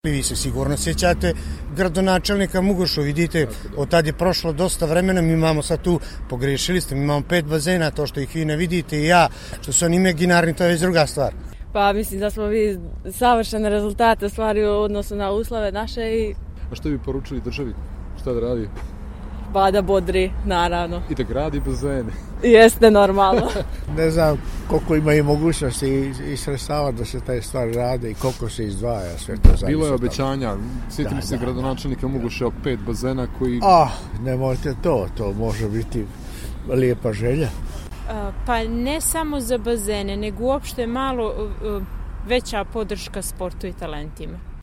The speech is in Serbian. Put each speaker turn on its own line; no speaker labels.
Vi se sigurno sjećate gradonačelnika Mugošu, vidite, od tad je prošlo dosta vremena, mi imamo sad tu, pogrešili ste, mi imamo 5 bazena, to što ih vi ne vidite i ja, što su oni imaginarni, to je već druga stvar.
Pa mislim da smo vi savršene rezultate stvari u odnosu na uslove naše i...
A što bi poručili državi? Šta da radi?
Pa da bodri, naravno.
I da gradi bazene.
Jeste, normalno.
Ne znam koliko ima i mogućnosti i sredstava da se taj stvar rade i koliko se izdvaja sve to zavisno.
Bilo je obećanja, sjetimo se gradonačelnika Mugoša o 5 bazena koji...
Nemojte to može biti lijepa želja.
Pa ne samo za bazene, nego uopšte malo veća podrška sportu i talentima.